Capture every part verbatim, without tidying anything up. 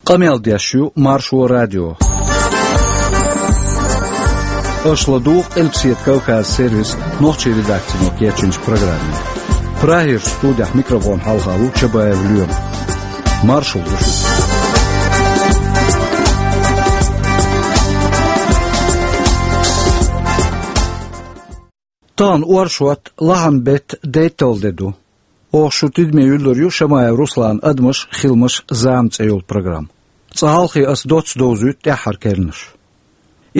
Къамел деш ю Маршо радио. Аша ладугӀу Къилбаседа Кавказ сервисан нохчийн редакцино кечйинчу программе. Прагерчу студехь микрофон хьалха ву Чабаев Лоьма. Маршалла ду шуьга. Тахана оршот, лахьан беттан дейтталгӀа де ду. Оха шун тидаме юьллур ю Шамаев Русланан «Адамаш, хиламаш, зама» цӀе йолу программа. Цкъа хьалхе аса доцца довзуьйту тӀаьххьара керланаш.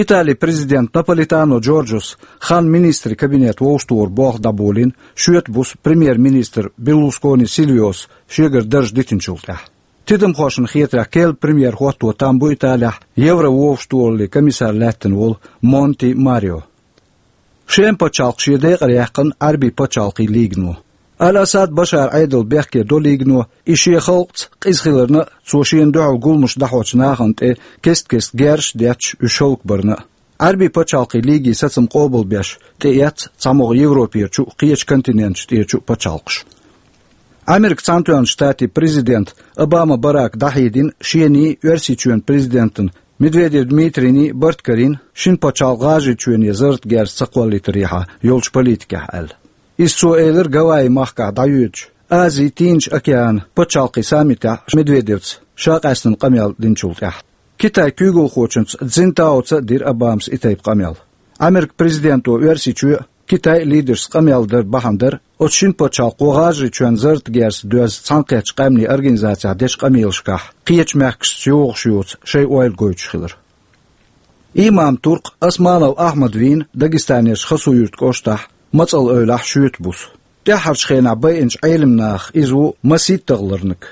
Италин президента Наполитано Джорджос хан министрийн кабинет вовшахтохаран болх дӀаболийна, шоьтан буса премьер-министр Берлускони Сильвиос шегара дарж дитинчул тӀаьхьа. Тидамхошна хетарехь, керла премьер хӀотто там бу Италехь еврововшахтохараллин комиссар лаьттина волу Монти Марио. Шема пачхьалкх шен декъара яьккхина Ӏаьрбийн пачхьалкхийн лигано. Аль-Асад Башаран Ӏедал бехке до лигано, и шен халкъаца къиза хиларна а, цо шена дуьхьал гуламаш дӀахьочу нахана тӀе кест-кеста герзаш а детташ, уьш хӀаллакбарна а. Ӏаьрбийн пачхьалкхийн лигийн сацам къобалбеш тӀеэцна цхьамогӀа Европерчу а, кхечу континенташ тӀерачу а пачхьалкхаш. Америкин Цхьаьнатоьхначу Штатийн президента Обама Барака дӀахьедина шений, Оьрсийчоьнан президентан Медведев Дмитрийний барт карийна, шина пачхьалкх ГӀажарийчоьне зарратан герз ца кхоллийтарехьа йолчу политикехь аьлла. Иза цо элира Гавайи махкахь дӀайоьдучу Азин, Тихачу океанан пачхьалкхийн саммитехь Медведевца ша къаьстина къамел динчул тӀаьхьа. Китайн куьйгалхочуьнца Цзиньтаоца а дира Обамас и тайпа къамел. Америкин президенто Оьрсийчоь а, Китайн а лидершца къамел дар бахьана дара оцу шина пачхьалкхо ГӀажарийчоьнна зарратан герз доьзна Цхьаьнакхеттачу Къаьмнийн Организацехь дечу къамелашкахь кхечу мехкашца йогӀуш йоцу шайн ойла гойтуш хилар. Имам-турк Османов Ахьмад вийна Дагестанерчу Хасавюртан кӀоштахь, мацӀал эвлахь, шоьтан буса. ТӀаьххьарчу хенахь байинчу Ӏелам нахах иза ву масийтталгӀа ларниг.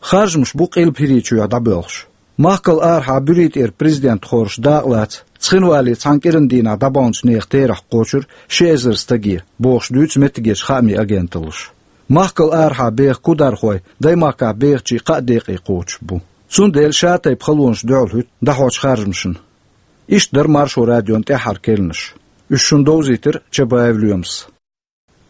Харжамаш бу Къилба ХӀирийчоьхь дӀабоьлхуш. Махкал арахьа Буьрий тӀера президент хоржуш дакъалаца Цхинвале цхьана кӀиран дийнахь дӀабаханчу нехан терахь кхочура ши эзар стаге, бохуш дуьйцу меттигерчу хаамийн агенталлаша. Махкал арахьа беха кудархой даймахкахь бехачийн кхаа декъе кхочуш бу. Цундела шатайпа халонаш дуьхьалхӀуьтту дӀахьочу харжамашна. Иштта дара Маршо радион тӀаьххьара керланаш. Уьш шуна довзийтира Чабаев Лоьмас.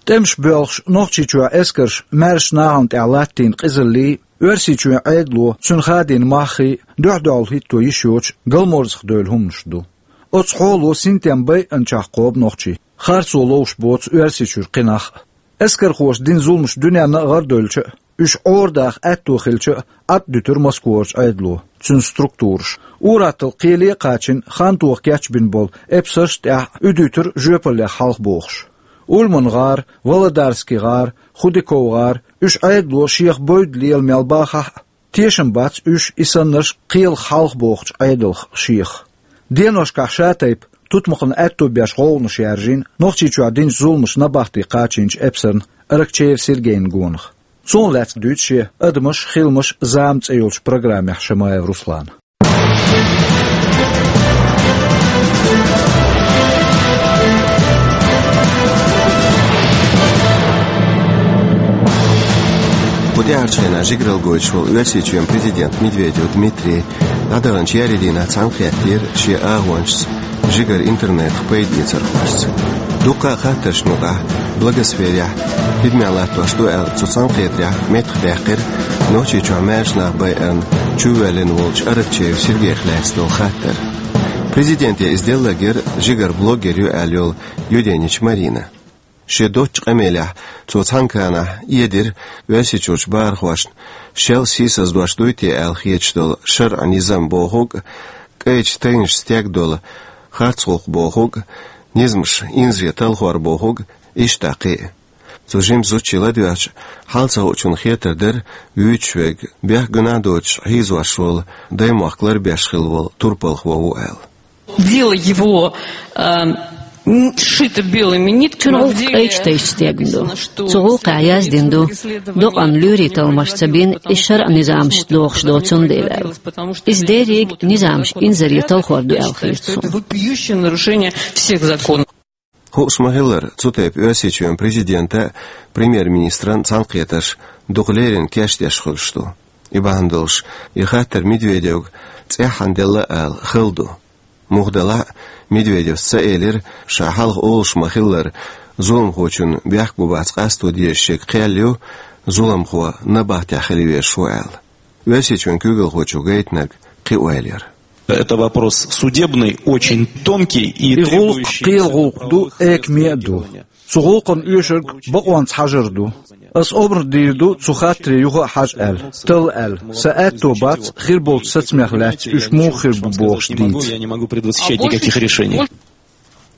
ТӀемаш боьлхуш, Нохчийчохь эскарша маьршачу нахана тӀехь латтийна къизаллий, Оьрсийчоьнан Ӏедало, цуьнан хадийна маххий дуьхь-дуьхьал хӀитто йиш йоцуш галморзах девлла хӀуманаш ду. Оцу хьоло синтем байинчохь кхобу нохчий, харцо ловш боцу Оьрсийчуьра кхин нах а. Эскархоша дина зуламаш дуьненна а гӀардевлча а, уьш Ӏорадаха аьтто хилча а, Ӏад дуьтура Москварчу Ӏедало, цуьнан структураша. Ур-атталла кхеле а кхачийна, хан тоха кечбина болу эпсарш а тӀехь уьдуьйтура жоьпаллех хьалха бохуш. Ульман-гӀар, Володарский-гӀар, Худяков-гӀар, уьш Ӏедало шех бевдда лела мел бахахь а, тешам бац уьш и саннарш кхелах хьалха бохучу Ӏедалх шех. Деношкахь шатайпа тутмакхана аьтто беш гӀовгӀанаш яржийна Нохчийчохь динчу зуламаша набахте кхачийначу эпсарна Аракчеев Сергейна гонах. Цунах лаьцна дуьйцу шен «Адамаш, хиламаш, зама» цӀе йолчу программехь Шамаев Руслана. Кху тӀаьхьарчу хенахь жигаралла гойтуш волу Оьрсийчоьнан президент Медведев Дмитрий дӀадаханчу еарин дийнахь цхьаьнакхеттера шен агӀончашца жигара интернетах пайда эцархошца. Дуккха а хаттаршна юкъахь блогосферехь хӀидманаш латтош ду аьлла, цу цхьаьнакхетарехь меттахдаьккхира Нохчийчохь маьршачу нах байарна чувоьллина волчу Аракчеев Сергейх лаьцна долу хаттар. Президенте иза делларг яра жигара блогер ю аьлла йолу Юденич Марина. Шен доцучу къамелехь цо цхьаьнакхетарехь эдира Оьрсийчуьрчу бахархошна, шел сийсаздеш дуй те аьлла хеташ долу шарӀан низам бохург а, кӀайчу тайнаша стегна долу харц гӀуллакх бохург а, низамаш инзаре талхор бохург а, иштта кхин а. Цу жимачу зудчо ладоьгӀча, хьал ца хуучунна хетар дара, вуьйцуш верг, бехк гуна а доцуш, хьийзош волу даймохк ларбеш хилла волу турпалхо ву аьлла. Дело его, э, м, шито белыми нитками. Цуьнан гӀуллакх кӀайчу тайнаша стегна ду. Цу гӀуллакхехь яздина ду, докъанна лоьрийн талламаш ца бина, иза шарӀан низамашца догӀуш доцу цундела аьлла. Иза дерриг низамаш инзаре талхор ду аьлла хета суна. Вопиющее нарушение всех законов. Хууш ма-хиллара, цу тайпа Оьрсийчоьнан президента а, премьер-министран а цхьаьнакхетарш дукха леррина кечдеш хуьлуш ду. И бахьана долуш, и хаттар Медведевга цӀеххьана делла ала хала ду. Муха делахь а, Медведевс ца элира, ша хьалха олуш ма-хиллара, зуламхочунна бехк бу-бац къасто дезаш ерг кхел ю, зуламхо набахтехь хила везаш ву аьлла. Оьрсийчоьнан куьйгалхочо гайтинарг кхин ойла яр. Это вопрос судебный, очень тонкий и требующий... И гӀуллакх кхелан гӀуллакх ду, экаме а ду. Цу гӀуллакхана оьшург бакъонца хьажар ду. Ас омра дийр ду цу хаттаре юха а хьажа аьлла, талла аьлла. Сан аьтто бац хир болчу сацамех лаьцна уьш муха хир бу бохуш дийца. Я не могу предвосхищать никаких решений.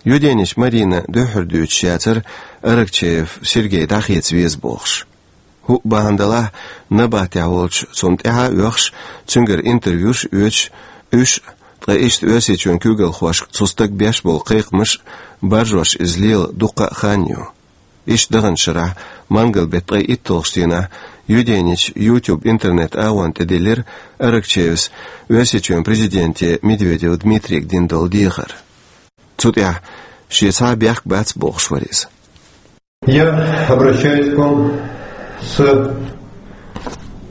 Юденич Марина дуьххьара дуьйцуш яцара Аракчеев Сергей дӀахеца веза бохуш. ХӀуъа бахьана далахь, набахтехь волчу цунна тӀаьхьа а оьхуш, цуьнгара интервьюш а оьцуш, уьш а, ткъа иштта Оьрсийчоьнан куьйгалхошка цу стага беш болу кхайкхамаш а баржош иза лела дуккха а хан ю. Иштта даханчу шарахь, мангал-беттан ткъе итталгӀачу дийнахь, Юденича YouTube интернет-агӀонна тӀедиллира Аракчеевс Оьрсийчоьнан президенте Медведев Дмитрийга дина долу дехар. Цу тӀехь шен цхьа а бехк бац бохуш вара иза. Я обращаюсь к вам с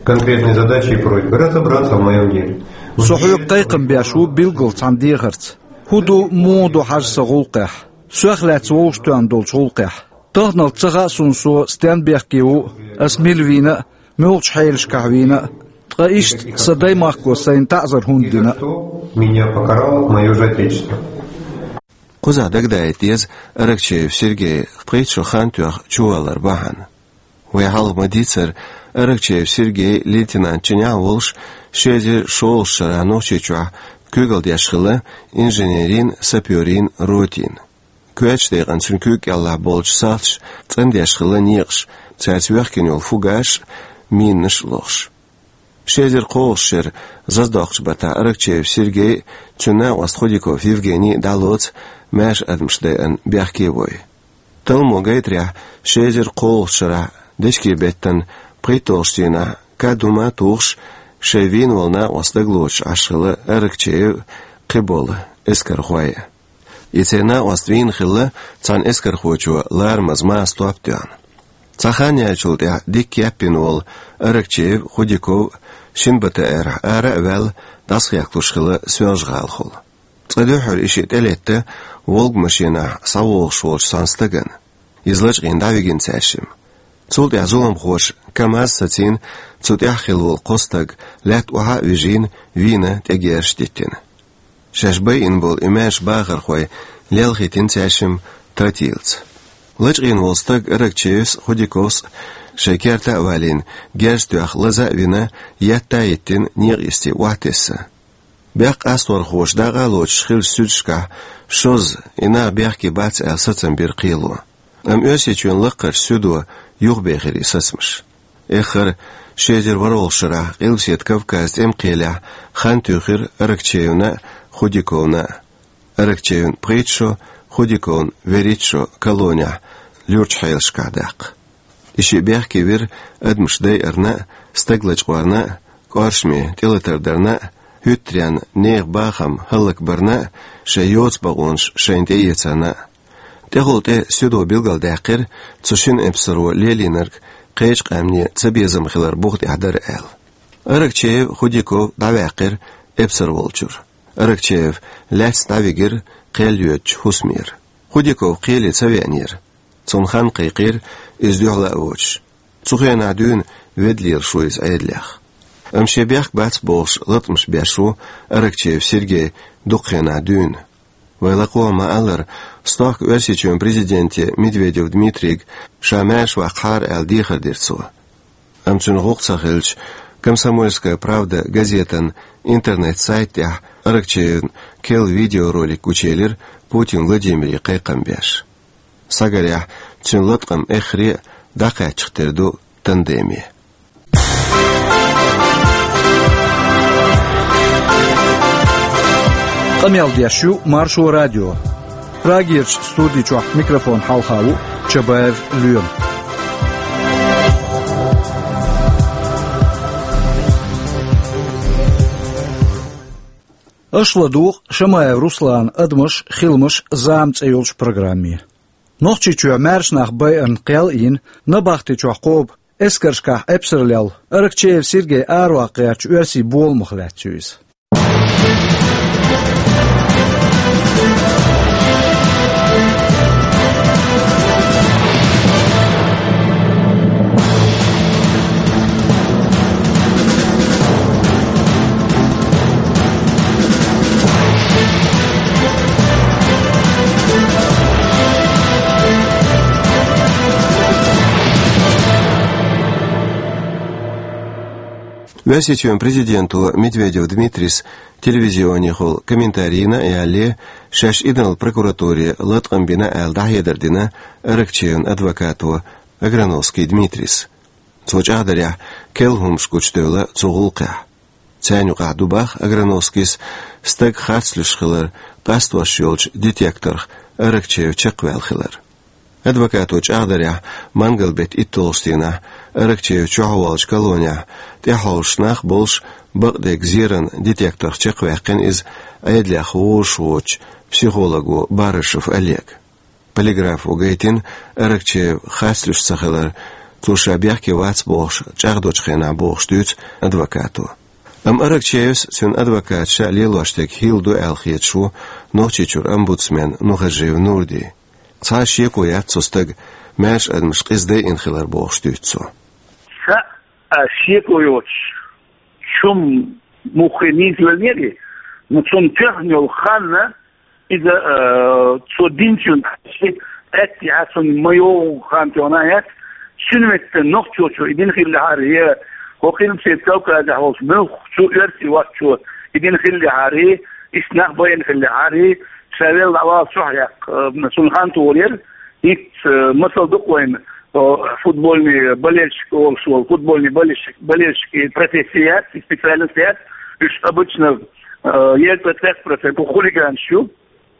конкретной задачей и просьбой разобраться в моём деле. Со хьоьга кхайкхам беш ву билггал цхьана дехарца. ХӀун ду, муха ду хьажа сан гӀуллакхехь? Сох лаьцна вовшахтоьхна долчу гӀуллакхехь. Таханалц ца хаьа суна со стенна бехке ву, ас мила вийна а, муьлхачу хьелашкахь вийна а, ткъа иштта сан даймахко сайна таӀзар хӀунда дина а. Меня покарало моё же Отечество. Кхузахь дагадаийта деза Аракчеев Сергей пхийтта шо хан тоьхна чувалар бахьана. Вай хьалха ма-дийццара, Аракчеев Сергей лейтенант чинехь а волуш, ши эзар шолгӀачу шарахь Нохчийчохь куьйгалла деш хилла инженерийн, сапёрийн ротин. Коьртачу декъана цуьнан куьйга кӀелахь болчу салташа цӀандеш хилла некъаш, цаьрца вехкина йолу фугасаш а, минанаш а лохуш. Ши эзар кхоалгӀачу шеран зазадоккхучу баттахь Аракчеев Сергей а, цуьнан накъост Худяков Евгений а дӀалоцу маьрша адамаш дайъина бехке вой. Талламо гайтарехь, ши эзар кхоалгӀачу шарахь дечкен-беттан пхийтталгӀачу дийнахь кад хӀума а тухуш, шайн вийна волу накъост дагалоцуш Ӏаш хилла Аракчеев а, кхиболу эскархой а. И церан накъост вийна хилла цхьана эскархочо ларамаза маса топ тоьхна. Цхьа хан яьллачул тӀаьхьа дика кеп йина волу Аракчеев а, Худяков а шина бата аьррахь ара а ваьлла, дӀасахехкалуш хилла Соьлжа-ГӀалахула. Цкъа дуьххьара и шиъ тӀелетта «Волга» машенахь схьавогӀуш волчу цхьана стагана. Иза лачкъийна дӀавигина цаьршимма. Цул тӀаьхьа зуламхоша КамАЗ сацийна, цу тӀехь хилла волу кхо стаг лаьтта охьа а вижийна, вийна, тӀегерзаш диттина. Шаьш байина болу и маьрша бахархой лелхийтина цаьршимма тротилаца. Лачкъийна волу стаг Аракчеевс а, Худяковс а шайн керта а валийна, герз тоьхна лаза а вина, етта а йиттина, некъа йисте охьатесна. Бехк къасторхоша дакъа а лоцуш хиллачу суьдашкахь шозза, и нах бехке бац аьлла, сацам бира кхело. Амма Оьрсийчоьнан лаккхарчу суьдо юхабехира и сацамаш. Эххар, ши эзар ворхӀалгӀачу шарахь Къилбаседа Кавказан тӀеман кхелехь хан туьйхира Аракчеевна а, Худяковна а. Аракчеевна пхийтта шо, Худяковна верхӀитта шо колонехь, луьрачу хьелашкахь даккха. И шиъ бехке вира адамаш дайарна а, стаг лачкъорна а, кӀоршаме тӀелатар дарна а, хӀуьттаренна нехан бахам хӀаллакбарна а, шайн йоцу бакъонаш шайна тӀеэцарна а. ТӀехула тӀе суьдо билгалдаьккхира, цу шина эпсаро лелийнарг кхечу къаьмнийн цабезам хилар буха тӀехь дара аьлла. Аракчеев а, Худяков а дӀаваьккхира эпсар волчуьра. Аракчеев лаьцна дӀавигира кхел йоьдучу хӀусамера. Худяков кхеле ца веанера. Цунна хан кхайкхийра, иза дуьхьал а воцуш. Цу хенахь дуьйна ведда лелаш ву иза Ӏедалех. Амма шен бехк бац бохуш латкъамаш беш ву Аракчеев Сергей дукха хенахь дуьйна. Вай лакхахь а ма-аллара, стохка Оьрсийчоьнан президенте Медведев Дмитрийга ша маьрша ваккхахьара аьлла дехар дира цо. Амма цуьнан гӀуллакх ца хилча, «Комсомольская правда» газетан интернет-сайта тӀехь Аракчеевн керла видеоролик гучуелира Путин Владимире кхайкхам беш. Схьагарехь, цуьнан латкъам эххаре а дӀакхаьчча тера ду тандеме. Къамел деш ю Маршо радио. Прагерчу студи чохь микрофон хьалха ву Чабаев Лоьма. Аша ладугӀу Шамаев Русланан «Адамаш, хиламаш, зама» цӀе йолчу программе. Нохчийчоь маьрша нах байарна кхел а йина, набахти чохь кхобу эскаршкахь эпсар лелла Аракчеев Сергей араваккха гӀертачу оьрсийн боламах лаьцна ю иза. Оьрсийчоьнан президенто Медведев Дмитрийс телевизионехула комментарий йина а ялале, шаьш Ӏедалан прокуратуре латкъам бина аьлла дӀахьедар дина Аракчеевн адвокато Аграновский Дмитрийс. Цо чӀагӀдарехь, керла хӀумнаш гучудевлла цу гӀуллакхехь. Царна юкъахь ду боху Аграновскийс стаг харц луьйш хилар къастош йолчу детекторх Аракчеев чекхваьлла хилар. Адвокато чӀагӀдарехь, мангал-беттан итталгӀачу дийнахь Аракчеев чохь а волчу колонехь тӀаьхьалхарчу нах болуш бакъдерг зеран детекторх чекхваьккхина иза Ӏедалех вовшахвоьдучу психолого Барышев Олега. Полиграфо гайтина Аракчеев харц луьйш ца хилар, цо ша бехке вац бохуш чӀагӀдочу хенахь бохуш дуьйцу адвокато. Амма Аракчеевс, цуьнан адвокаташа а лелош дерг хилла ду аьлла хеташ ву Нохчийчуьра омбудсмен Нухажиев Нурди. Цхьа а шеко яц цу стага маьрша адамаш къиза дайина хилар бохуш дуьйцу цо. Ша а шеко йоцуш, чу муххе нийсаланера, но цунна тоьхна йолу хан, иза, э, цо динчун тӀе, аьттехьа цунна ма йогӀу хан тоьхна яц, цуьнан метта нохчочо и дина хиллехьара, я хӀокху Къилбаседа Кавказехь волчу муьлххачу оьрсийн воккхачо и дина хиллехьара, иштта нах байина хиллехьара, ша велла дӀавала чохь яккха, э, цунна хан тухур яра, ХӀинца, э, масал ду-кх вайна, э, футбольный болельщик олуш волу, футбольный болельщик, болельщик и профессия яц, и специальность яц, уьш обычно, э, езткъе пхи процент хулиганаш ю.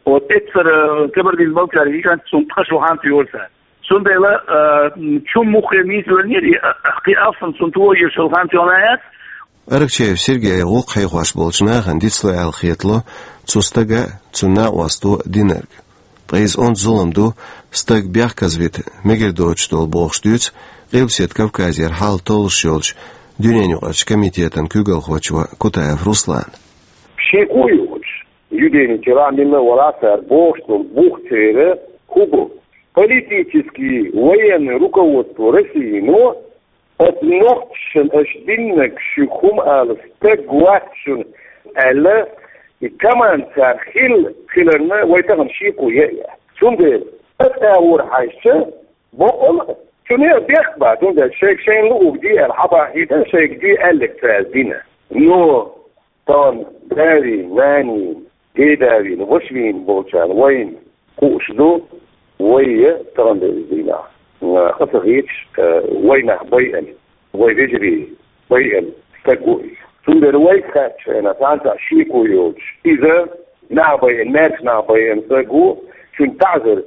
Вот, эццара, э, Кабардин-Балкарий гигантца цунна ткъа шо хан туьйхира цара. Цундела, э, чу муххе нийсаланера, и, э, кхин алсам цунна тухур йолу хан тоьхна яц. Аракчеев Сергей гӀуллакх хьехош болчу нахана дицло аьлла хетало цу стага а, цуьнан накъосто а динарг. Ткъа иза онда зулам ду, стаг бехказавита мегар доцуш долу бохуш дуьйцу Къилбаседа Кавказера хьал толлуш йолчу дуьненан юкъарчу комитетан куьйгалхочо Кутаев Руслана. Шеко йоцуш, юденичера милла а вала цара бохуш долу бух церан хӀун бу? Политический, военный руководство России, но Оцу нохчашна аша диннарг шуьга хӀума ала стаг вац шуна аьлла, и команда цара хилла хиларна вай тахана шеко ян а яц. Цундела аса агӀор хьаьжча, боккъал а, цуьнан бехк бац, цундела шайга шайна луург де аьлла, хьан бахьийта шайга де аьлларг цара дина. Но тахана да вийна, нана вийна, деда вийна, ваша вийна болчарна вайна хууш ду, вай я тахана деза дийнахь, аса хеташ, э, вай нах байина, вай вежарий байина стаг ву иза. Цундела вайга хаьттича хьайна, цхьаьна цхьа шеко йоцуш, иза нах байина, маьрша нах байина стаг ву, цуьнан таӀзар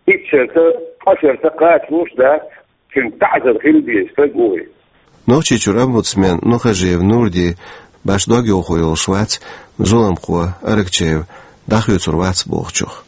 итт шарца, ткъа шарца кхачалуш дац, цуьнан таӀзар хила деза стаг ву иза. Нохчийчуьра омбудсмен Нухажиев Нурди башха дог йовхо йолуш вац, зуламхо Аракчеев дӀахоьцур вац бохучух.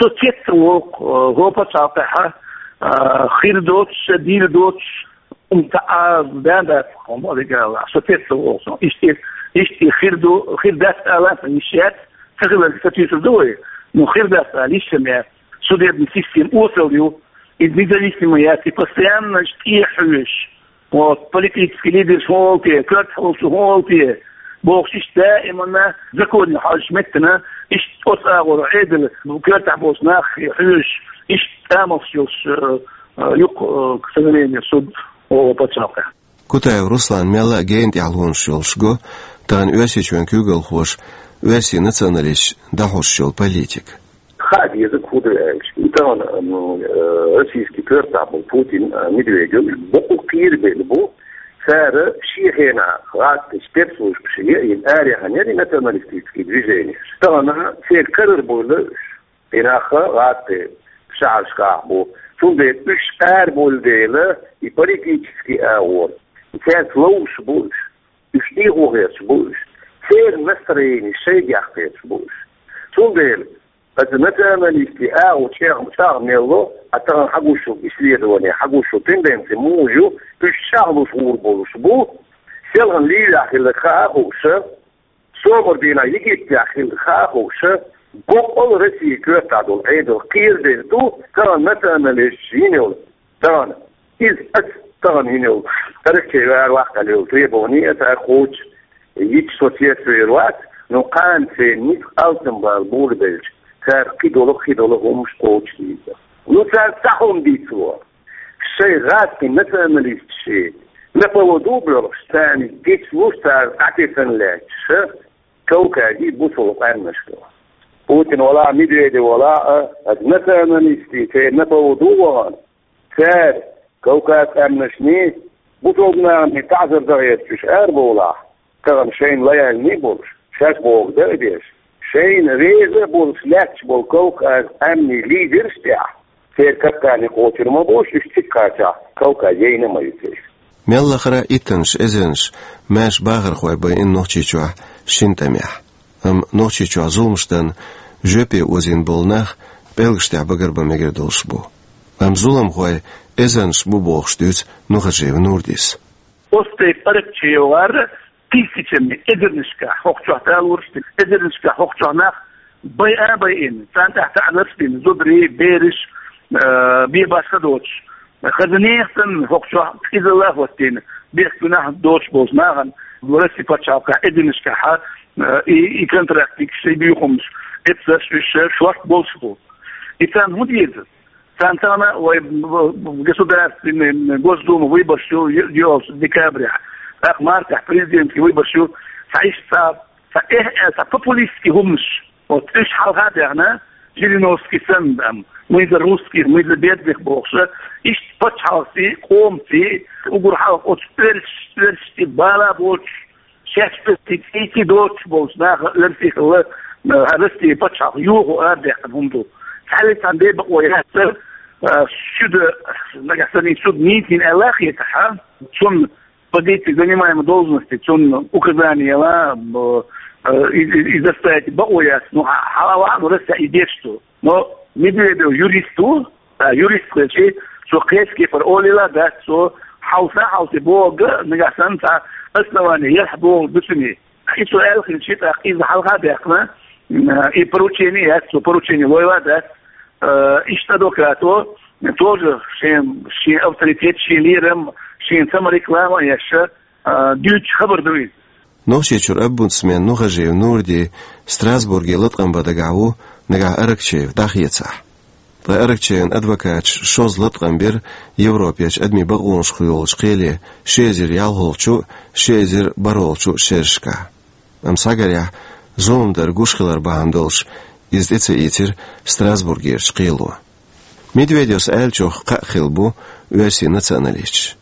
Со цецволу, э, хӀокху пачхьалкхехь, э, хир доцуш, дийр доцуш, хӀума цхьа а бен дац, хӀума олигала. Со цецволу со. Иштта, иштта хир ду, хир дац ала сан йиш яц, ца хиларг сатуьйсур ду вай. Ну, хир дац ала йиш ма яц. Судебная система осал ю, и независимая яц, и постоянно тӀехьоьжуш. Вот, политический лидерш хӀун олу те, коьртахь волчо хӀун олу те, бохуш иштта даиманна законе хьожуш меттана, иштта оцу агӀор Ӏедал, ну, коьртахь болчу нах хьоьжуш, иштта тӀамалш йолуш, э, э, юкъ, э, к сожалению, суд о пачхьалкхехь. Кутаев Руслан мелла а гена тӀехь лонаш йолуш го, тахана Оьрсийчоьнан куьйгалхоша оьрсийн националисташ дӀахьош йолу политика. Хаа деза, хӀун ду аьлча. И тахана, м, э, российский коьртахь болу Путин, э, Медведев, бакъ кхерабелла бу, цара шен хенахь гӀазкхий спецслужбаш яйина араяхьна яра и националистический движенеш. Тахана церан карара бевлла уьш. И нах гӀазкхи шахьаршкахь бу. Цундела уьш арабевлла дела, и политический агӀор, и цаьрца ловзуш бу уьш. Уьш дехо хеташ бу уьш. Церан настроени шайгахь хеташ бу уьш. Цундела аса националистийн агӀо чӀагӀ-, чӀагӀ мел ло, а тахана хьагуш йолу исследование, хьагуш йолу тенденция муха ю, уьш чӀагӀлуш гӀур болуш бу, селхана Ливехь хилларг хаа а хууш, сомара дийнахь Египтехь хилларг хаа а хууш, боккъал Россия коьртахь долу Ӏедал кхерабелла ду, тахана националисташ йина йолу, тахана, иза аса тахана йина йолу, Аракчеев ара ваккхалла йолу требование аса ара кхочуш, йитча со цецвер вац, но кхана церан ницкъ алсамбала буьйлабелча, цара кхидолу, кхидолу хӀумаш кхочушдийр. Ну, цара цхьа хӀума дийцаро. Шайн гӀазкхийн националисташийн На поводу болуш, царна гицлуш, цара къахетам лаьтташ, Кавказе бусалба къаьмнаш ду. Путин валахь, Медведев валахь а, аса националистий церан на поводу вахана, цара Кавказ къаьмнашний, бусалба наханий таӀзар дан гӀерташ уьш арабовлахь, тахана шайна лояльный болуш, шаьш бохург дан а деш, шайна реза а болуш лаьтташ болу Кавказ къаьмнийн лидераш тӀехь, церан капкане кхочур ма бу уьш, уьш цига кхачахь, Кавказ яйна а ма ю церан. Мел лахара а иттаннаш эзарнаш маьрша бахархой байина Нохчийчохь шина тӀамехь. Амма Нохчийчохь зуламаш дан жоьпе озийна болу нах пӀелгаш тӀехь багарбан мегар долуш бу. Амма зуламхой эзарнаш бу бохуш дуьйцу Нухажиев Нурдис. Оцу тайпа Аракчеевгара тысячами, эзарнашкахь, хӀокху чохь талораш дина, эзарнашкахь хӀокху чохь нах байа а байина, царна тӀехь таӀзарш дина, зударий, бераш, а, бен башха доцуш. Хаза нехан санна хӀокху чохь къизалла а хӀоттийна, бехк-гуьнахь доцуш болчу нахана Россин пачхьалкхехь эзарнашкахь, а, и, и контрактникаш, и буьйхамаш, эпсарш, уьш шорта болуш бу. И царна хӀун деза? Царна тахана вай государственный, Госдума выбораш ю, ю, йолчу декабрехь. ТӀаккха мартехь президентский выбораш ю. Цхьа иштта цхьа, цхьа эхь а, цхьа популистский хӀуманаш. Вот уьш хьалха а даьхна, Жириновский санна, там, «Мы за русских, мы за бедных» бохуш, иштта пачхьалкхаций, къомаций, уггар хьалха оцу оьрсаш, оьрсашца бала боцуш, шаьш оьрсий цӀийци доцуш болчу наха оьрсий хилла, а, Россин пачхьалкх йохо арадаьккхина хӀума ду. Цхьаьлла цхьана бен бакъо яц, а, шуьда, нагахь санна суд нийсийна аьлла а хетахь, цунна позиции, занимаемой должности, цунна указание яла, а, а, и, и, и заставить бакъо яц. Ну, хьа-, хьала ваьхьа, ну, Россехь и деш ду. Но Медведев юрист ву, а, юрист хилча, цо кхечу кепара олийла а дац, цо хьовса а хьовсий бохург, нагахь санна цхьа основание ялахь бохург ду цуьнан. И цо аьлла хилча, тӀаккха иза хьалха а даьккхина, м, и поручение яц, цо поручение лойла а дац, а, иштта адвокато тоже шен, шен авторитет, шен лерам, шен самореклама а еш, а, дуьйцуш хабар ду иза. Нохчийчуьра омбудсмен Нухажиев Нурди Страсбурге латкъам бан дагахь ву, нагахь Аракчеев дӀахецахь. Ткъа Аракчеевн адвокаташа шозза латкъам бира Европерчу адамийн бакъонашкахь йолчу кхеле, ши эзар ялхалгӀачу а, ши эзар бархӀалгӀачу а шерашкахь. Амма схьагарехь, зулам дар гуш хилар бахьана долуш, иза тӀе ца ийцира Страсбургерчу кхело. Медведевс аьллачух кхаъ хилла бу оьрсийн националисташ.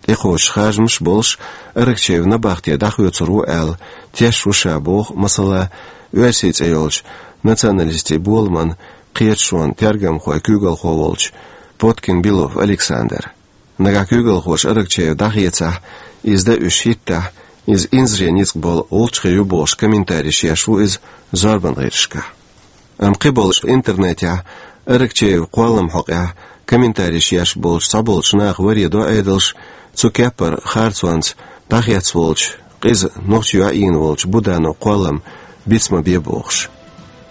ТӀекхочуш харжамаш а болуш, Аракчеев набахте дӀахоьцур ву аьлла, тешаш ву ша боху, масала, оьрсийн цӀе йолчу националистийн боламан кхеташонан тергамхойн куьйгалхо волчу Поткин-Белов Александр. Нагахь куьйгалхоша Аракчеев дӀахецахь, иза дан уьш хӀиттахь, иза инзаре ницкъ болу гӀулчхи ю бохуш комментареш еш ву иза зорбан гӀирсашкахь. Амма кхиболуш интернетехь Аракчеевн кхолламан хьокъехь комментареш еш болчу цхьаболчу наха варе до Ӏедалш, цу кеппара харцонца дӀахецна волчу, къиза нохчийн йоӀ йийна волчу Буданов кхоллам биц ма бе бохуш.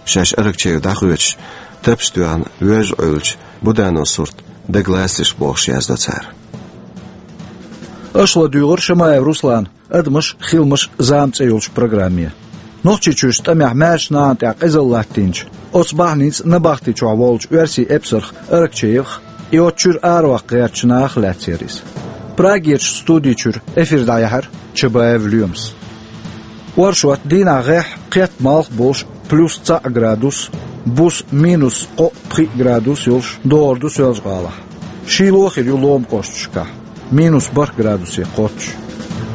Шаьш Аракчеев дӀахоьцуш, тапча тоьхна вежа Ӏуьллучу Будановн сурт дагалацдеш бохуш яздо цара. Аша ладуьйгӀира Шамаев Руслана «Адамаш, хиламаш, зама» цӀе йолчу программе. Нохчийчуьрчу тӀамехь маьрша нахана тӀехь къизалла латтийначу, оцу бахьаница набахти чохь волчу оьрсийн эпсарх Аракчеевх, и оцу чуьра араваккха гӀертачу наха лаьцна яра иза. Прагерчу студи чуьра эфир дӀаяьхьира Чабаев Лоьмас. Оршот дийнахь гӀеххьа кхетта малх болуш плюс цхьаъ градус, буса минус кхоъ-пхиъ градус йолуш догӀур ду Соьлжа-ГӀалахь. Шийло хир ю ломан кӀошташкахь, минус бархӀ градусе кхоччуш.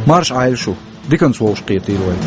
Марша Ӏайла шу, диканца вовшахкхетийла вай.